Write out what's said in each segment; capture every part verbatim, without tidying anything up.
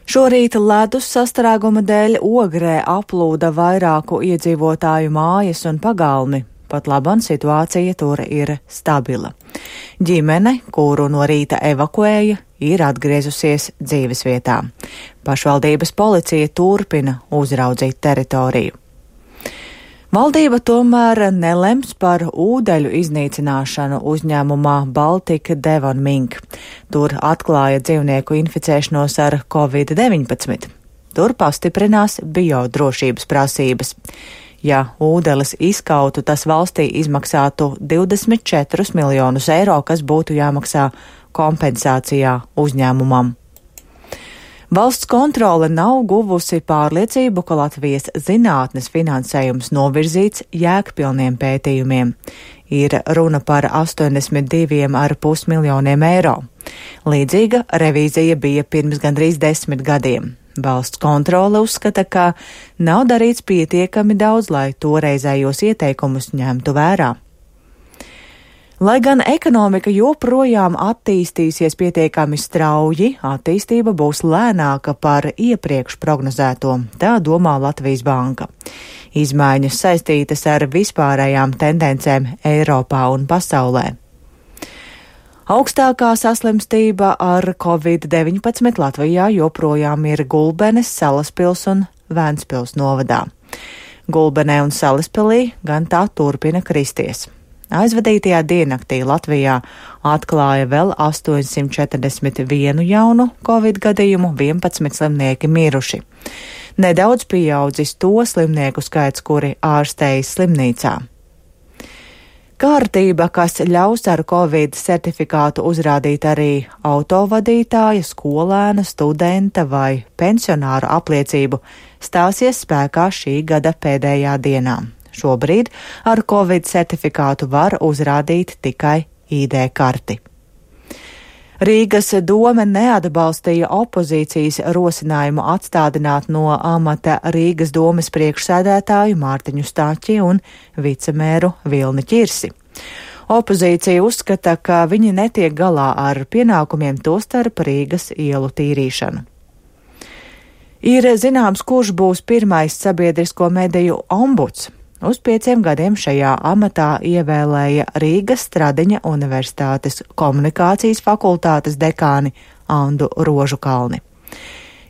Šorīt ledus sastrēguma dēļ Ogrē aplūda vairāku iedzīvotāju mājas un pagalmi. Pat laban situācija tur ir stabila. Ģimene, kuru no rīta evakuēja, ir atgriezusies dzīvesvietā. Pašvaldības policija turpina uzraudzīt teritoriju. Valdība tomēr nelems par ūdeļu iznīcināšanu uzņēmumā Baltika Devon Mink. Tur atklāja dzīvnieku inficēšanos ar covid deviņpadsmit. Tur pastiprinās biodrošības prasības. Ja ūdeles izkautu, tas valstī izmaksātu divdesmit četrus miljonus eiro, kas būtu jāmaksā kompensācijā uzņēmumam. Valsts kontrole nav guvusi pārliecību, ka Latvijas zinātnes finansējums novirzīts jēgpilniem pētījumiem. Ir runa par astoņdesmit diviem ar pus miljoniem eiro. Līdzīga revīzija bija pirms gandrīz desmit gadiem. Valsts kontrole uzskata, ka nav darīts pietiekami daudz, lai toreizējos ieteikumus ņemtu vērā. Lai gan ekonomika joprojām attīstīsies pietiekami strauji, attīstība būs lēnāka par iepriekš prognozēto, tā domā Latvijas banka. Izmaiņas saistītas ar vispārējām tendencēm Eiropā un pasaulē. Augstākā saslimstība ar covid deviņpadsmit Latvijā joprojām ir Gulbenes, Salaspils un Vēnspils novadā. Gulbenē un Salaspilī gan tā turpina kristies. Aizvadītajā diennaktī Latvijā atklāja vēl astoņsimt četrdesmit vienu jaunu covid gadījumu, vienpadsmit slimnieki miruši. Nedaudz pieaudzis to slimnieku skaits, kuri ārstējas slimnīcā. Kārtība, kas ļaus ar covid certifikātu uzrādīt arī autovadītāja, skolēna, studenta vai pensionāra apliecību, stāsies spēkā šī gada pēdējā dienā. Šobrīd ar covid certifikātu var uzrādīt tikai I D karti. Rīgas dome neatbalstīja opozīcijas rosinājumu atstādināt no amata Rīgas domes priekšsēdētāju Mārtiņu Stāķi un vicemēru Vilni Ķirsi. Opozīcija uzskata, ka viņi netiek galā ar pienākumiem, tostarp Rīgas ielu tīrīšanu. Ir zināms, kurš būs pirmais sabiedrisko mediju ombuds. Uz pieciem gadiem šajā amatā ievēlēja Rīgas Stradiņa Universitātes komunikācijas fakultātes dekāni Andu Rožukalni.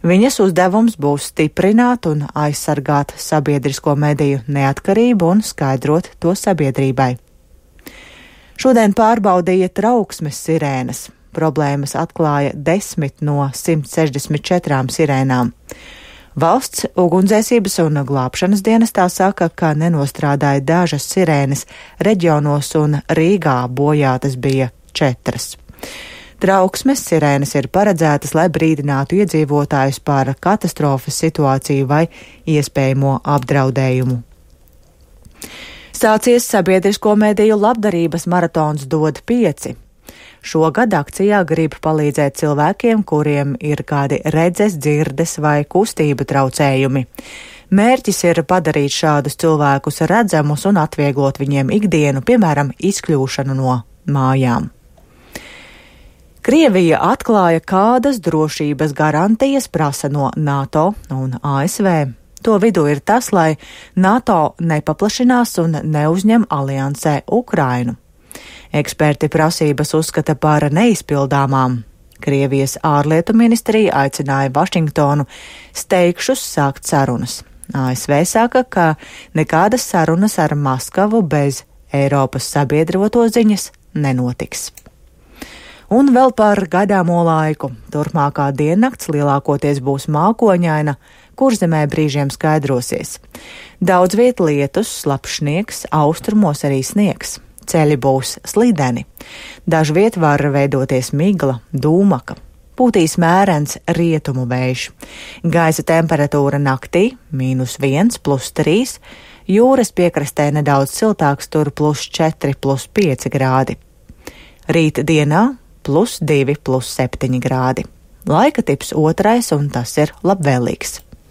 Viņas uzdevums būs stiprināt un aizsargāt sabiedrisko mediju neatkarību un skaidrot to sabiedrībai. Šodien pārbaudīja trauksmes sirēnas. Problēmas atklāja desmit no simt sešdesmit četrām sirēnām. Valsts ugunsdzēsības un glābšanas dienestā saka, ka nenostrādāja dažas sirēnas reģionos un Rīgā bojātas bija četras. Trauksmes sirēnas ir paredzētas, lai brīdinātu iedzīvotājus par katastrofas situāciju vai iespējamo apdraudējumu. Sācies sabiedrisko mediju labdarības maratons Dod pieci. Šogad akcijā grib palīdzēt cilvēkiem, kuriem ir kādi redzes, dzirdes vai kustību traucējumi. Mērķis ir padarīt šādus cilvēkus redzamus un atvieglot viņiem ikdienu, piemēram, izkļūšanu no mājām. Krievija atklāja, kādas drošības garantijas prasa no NATO un A S V. To vidū ir tas, lai NATO nepaplašinās un neuzņem aliansē Ukrainu. Eksperti prasības uzskata par neizpildāmām. Krievijas ārlietu ministrija aicināja Vašingtonu steigšus sākt sarunas. A S V saka, ka nekādas sarunas ar Maskavu bez Eiropas sabiedroto ziņas nenotiks. Un vēl par gaidāmo laiku. Turpmākā diennakts lielākoties būs mākoņaina, Kurzemē brīžiem skaidrosies. Daudz viet lietus, slapjš sniegs, austrumos arī sniegs. Ceļi būs slideni. Dažviet var veidoties migla, dūmaka. Pūtīs mērens rietumu vējš. Gaisa temperatūra naktī mīnus viens, plus trīs, jūras piekrastē nedaudz siltāks, tur plus četri, plus pieci grādi. Rīt dienā plus divi, plus septiņi grādi. Laika tips otrais, un tas ir labvēlīgs.